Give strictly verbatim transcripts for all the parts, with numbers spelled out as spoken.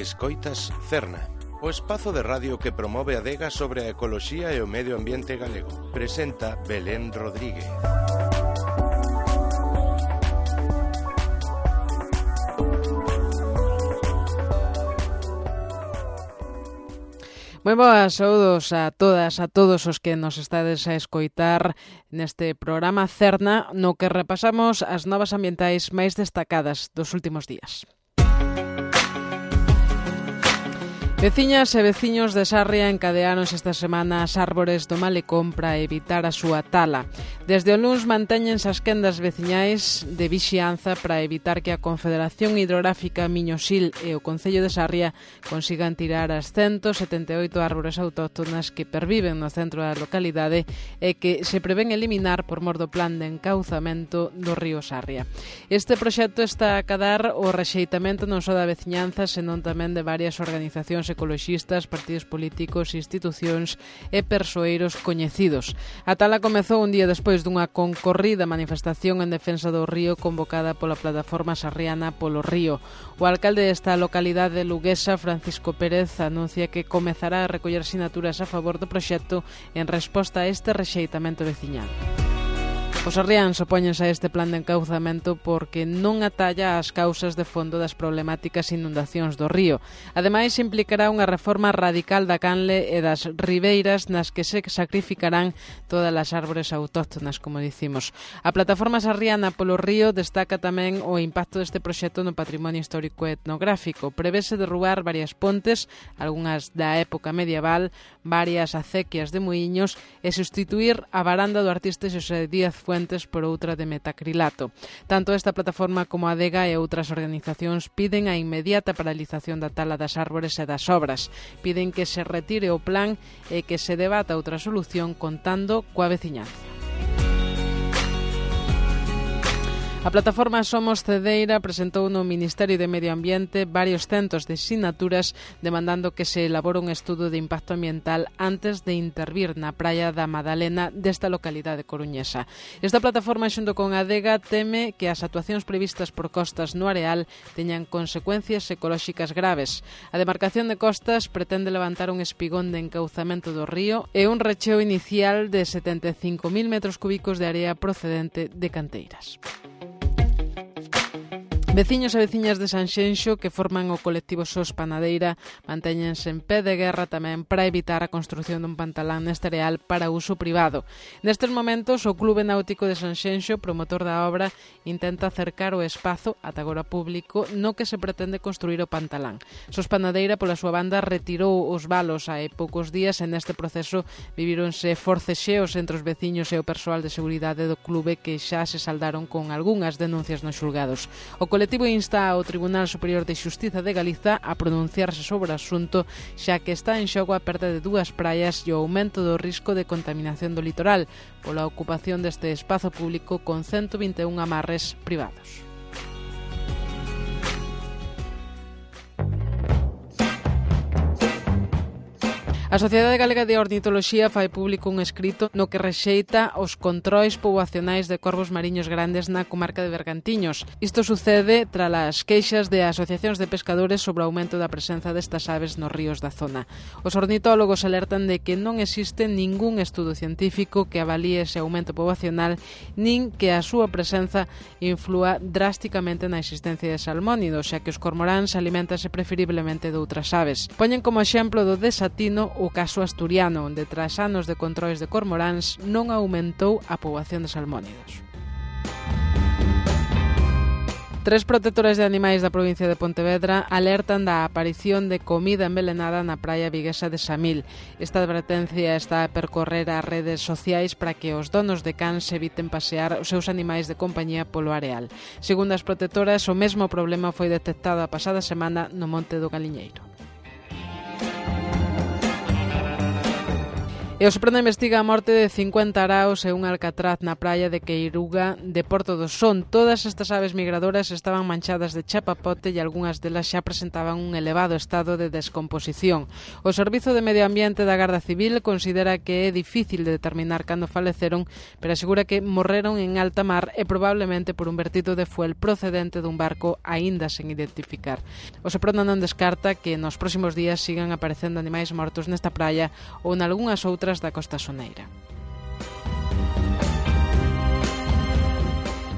Escoitas Cerna, o espazo de radio que promove a adega sobre a ecoloxía e o medio ambiente galego. Presenta Belén Rodríguez. Moi boas, saúdos a todas, a todos os que nos estades a escoitar neste programa Cerna, no que repasamos as novas ambientais máis destacadas dos últimos días. Veciñas e veciños de Sarria encadearonse esta semana as árbores do malecón para evitar a súa tala. Desde o luns mantéñense as quendas veciñais de vixianza para evitar que a Confederación Hidrográfica Miñosil e o Concello de Sarria consigan tirar as ciento setenta e oito árbores autóctonas que perviven no centro da localidade e que se prevén eliminar por mor do plan de encauzamento do río Sarria. Este proxecto está a acadar o rexeitamento non só da veciñanza, senón tamén de varias organizacións ecoloxistas, partidos políticos, institucións e persoeiros coñecidos. A tala comezou un día despois dunha concorrida manifestación en defensa do río convocada pola plataforma sarriana Polo Río. O alcalde desta localidade luguesa, Francisco Pérez, anuncia que comezará a recoller sinaturas a favor do proxecto en resposta a este rexeitamento veciñal. Os sarriáns opóñense a este plan de encauzamento porque non atalla as causas de fondo das problemáticas inundacións do río. Ademais, implicará unha reforma radical da canle e das ribeiras nas que se sacrificarán todas as árbores autóctonas, como dicimos. A plataforma sarriana Polo Río destaca tamén o impacto deste proxecto no patrimonio histórico e etnográfico. Prevese derrubar varias pontes, algunhas da época medieval, varias acequias de muiños e sustituir a varanda do artista Xosé Díaz Fuentes por outra de metacrilato. Tanto esta plataforma como a adega e outras organizacións piden a inmediata paralización da tala das árbores e das obras. Piden que se retire o plan e que se debata outra solución contando coa veciñanza. A plataforma Somos Cedeira presentou no Ministerio de Medio Ambiente varios centos de sinaturas demandando que se elabore un estudo de impacto ambiental antes de intervir na praia da Madalena desta localidade coruñesa. Esta plataforma, xunto con a adega, teme que as actuacións previstas por Costas no areal teñan consecuencias ecolóxicas graves. A demarcación de Costas pretende levantar un espigón de encauzamento do río e un recheo inicial de setenta e cinco mil metros cúbicos de area procedente de canteiras. Veciños e veciñas de Sanxenxo que forman o colectivo Sos Panadeira mantéñense en pé de guerra tamén para evitar a construción dun pantalán neste areal para uso privado. Nestes momentos, o Clube Náutico de Sanxenxo, promotor da obra, intenta acercar o espazo, ata agora público, no que se pretende construir o pantalán. Sos Panadeira, pola súa banda, retirou os valos hai poucos días e neste proceso vivíronse forcexeos entre os veciños e o persoal de seguridade do clube que xa se saldaron con algunhas denuncias nos xulgados. O O colectivo insta ao Tribunal Superior de Xustiza de Galiza a pronunciarse sobre o asunto, xa que está en xogo a perda de dúas praias e o aumento do risco de contaminación do litoral pola ocupación deste espazo público con ciento vinte e un amarres privados. A Sociedade Galega de Ornitoloxía fai público un escrito no que rexeita os controis poboacionais de corvos mariños grandes na comarca de Bergantiños. Isto sucede tras as queixas de asociacións de pescadores sobre o aumento da presenza destas aves nos ríos da zona. Os ornitólogos alertan de que non existe ningún estudo científico que avalíe ese aumento poboacional nin que a súa presenza inflúa drásticamente na existencia de salmónidos, xa que os cormoráns alimentanse preferiblemente de outras aves. Poñen como exemplo do desatino o caso asturiano, onde tras anos de controis de cormoráns non aumentou a poboación de salmónidos. Tres protectores de animais da provincia de Pontevedra alertan da aparición de comida envenenada na praia viguesa de Samil. Esta advertencia está a percorrer as redes sociais para que os donos de cans eviten pasear os seus animais de compañía polo areal. Segundo as protectoras, o mesmo problema foi detectado a pasada semana no Monte do Galiñeiro. E o Seprona investiga a morte de cincuenta araos e un alcatraz na praia de Queiruga de Porto do Son. Todas estas aves migradoras estaban manchadas de chapapote e algunhas delas xa presentaban un elevado estado de descomposición. O Servizo de Medio Ambiente da Garda Civil considera que é difícil de determinar cando faleceron, pero asegura que morreron en alta mar e probablemente por un vertido de fuel procedente dun barco aínda sen identificar. O Seprona non descarta que nos próximos días sigan aparecendo animais mortos nesta praia ou nalgunhas outras da costa soneira.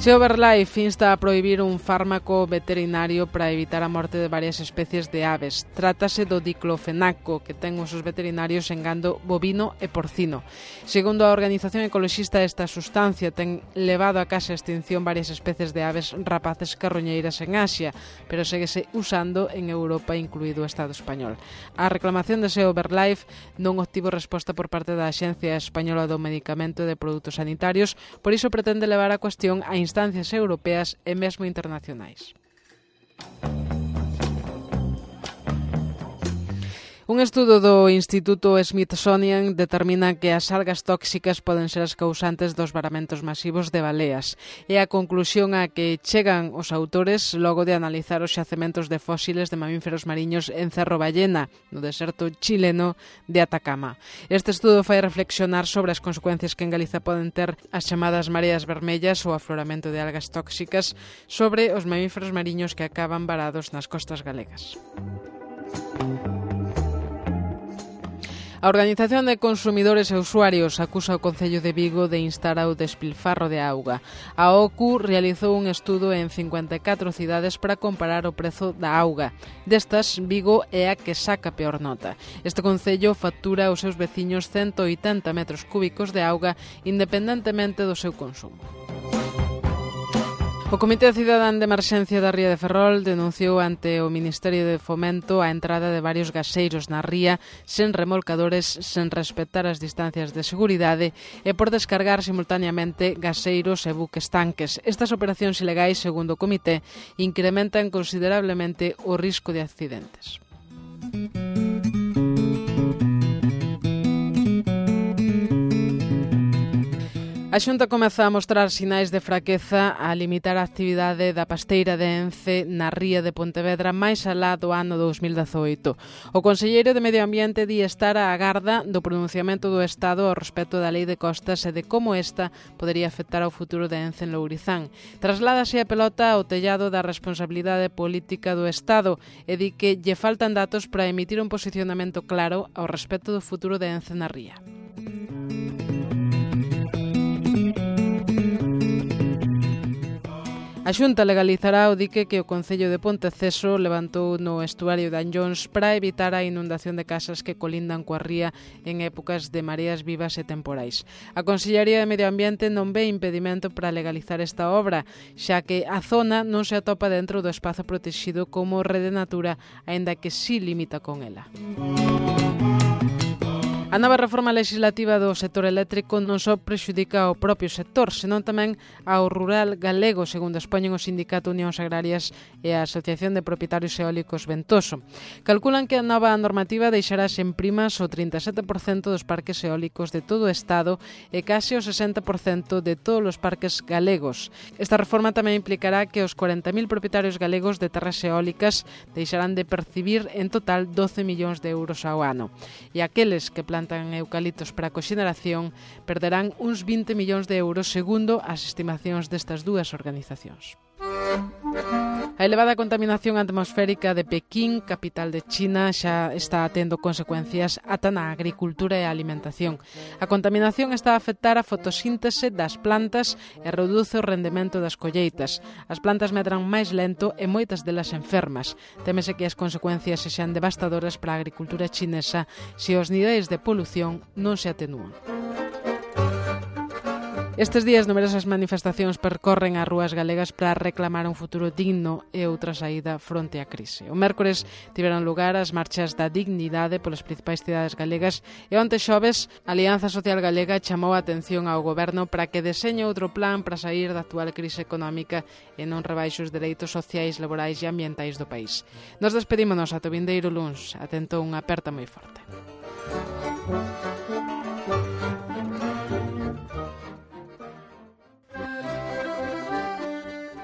Seoverlife insta a prohibir un fármaco veterinario para evitar a morte de varias especies de aves. Trátase do diclofenaco, que ten usos veterinarios en gando bovino e porcino. Segundo a organización ecoloxista, esta sustancia ten levado a case a extinción varias especies de aves rapaces carroñeiras en Asia, pero séguese usando en Europa, incluído o Estado español. A reclamación de Seoverlife non obtivo resposta por parte da Axencia Española do Medicamento e de Produtos Sanitarios, por iso pretende levar a cuestión a instancias europeas e mesmo internacionais. Un estudo do Instituto Smithsonian determina que as algas tóxicas poden ser as causantes dos varamentos masivos de baleas. É a conclusión a que chegan os autores logo de analizar os xacementos de fósiles de mamíferos mariños en Cerro Ballena, no deserto chileno de Atacama. Este estudo fai reflexionar sobre as consecuencias que en Galiza poden ter as chamadas mareas vermellas ou afloramento de algas tóxicas sobre os mamíferos mariños que acaban varados nas costas galegas. A Organización de Consumidores e Usuarios acusa o Concello de Vigo de instar ao despilfarro de auga. A O C U realizou un estudo en cincuenta e catro cidades para comparar o prezo da auga. Destas, Vigo é a que saca peor nota. Este concello factura aos seus veciños ciento oitenta metros cúbicos de auga independentemente do seu consumo. O Comité Cidadán de Emerxencia da Ría de Ferrol denunciou ante o Ministerio de Fomento a entrada de varios gaseiros na ría sen remolcadores, sen respetar as distancias de seguridade e por descargar simultaneamente gaseiros e buques tanques. Estas operacións ilegais, segundo o Comité, incrementan considerablemente o risco de accidentes. A Xunta comeza a mostrar sinais de fraqueza a limitar a actividade da pasteira de Ence na ría de Pontevedra máis alá do ano dous mil dezoito. O conselleiro de Medio Ambiente di estar á agarda do pronunciamento do Estado ao respecto da Lei de Costas e de como esta podería afectar ao futuro de Ence en Lourizán. Trasládase a pelota ao tellado da responsabilidade política do Estado e di que lle faltan datos para emitir un posicionamento claro ao respecto do futuro de Ence na ría. A Xunta legalizará o dique que o Concello de Ponteceso levantou no estuario de Anllóns para evitar a inundación de casas que colindan coa ría en épocas de mareas vivas e temporais. A Consellería de Medio Ambiente non ve impedimento para legalizar esta obra, xa que a zona non se atopa dentro do espazo protexido como Rede Natura, aínda que sí limita con ela. A nova reforma legislativa do sector eléctrico non só prexudica ao propio sector, senón tamén ao rural galego, segundo expoñen o Sindicato Unións Agrarias e a Asociación de Propietarios Eólicos Ventoso. Calculan que a nova normativa deixará sen primas o trinta e sete por cento dos parques eólicos de todo o Estado e case o sesenta por cento de todos os parques galegos. Esta reforma tamén implicará que os cuarenta mil propietarios galegos de terras eólicas deixarán de percibir en total doce millóns de euros ao ano. E aqueles que plantan eucaliptos para a coxeneración perderán uns vinte millóns de euros segundo as estimacións destas dúas organizacións. A elevada contaminación atmosférica de Pequín, capital de China, xa está tendo consecuencias ata na agricultura e a alimentación. A contaminación está a afectar a fotosíntese das plantas e reduce o rendemento das colleitas. As plantas medran máis lento e moitas delas enfermas. Témese que as consecuencias sexan devastadoras para a agricultura chinesa se os niveis de polución non se atenúan. Estes días numerosas manifestacións percorren as rúas galegas para reclamar un futuro digno e outra saída fronte á crise. O mércores tiveron lugar as marchas da dignidade polas principais cidades galegas e onte xoves a Alianza Social Galega chamou a atención ao goberno para que deseñe outro plan para sair da actual crise económica e non rebaixe os dereitos sociais, laborais e ambientais do país. Nos despedímonos ata o vindeiro luns. Atentou unha aperta moi forte.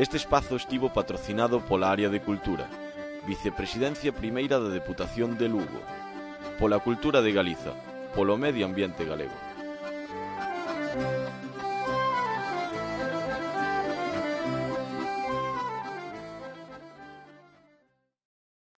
Este espazo estivo patrocinado pola área de Cultura, Vicepresidencia Primeira da Deputación de Lugo, pola Cultura de Galiza, polo Medio Ambiente Galego.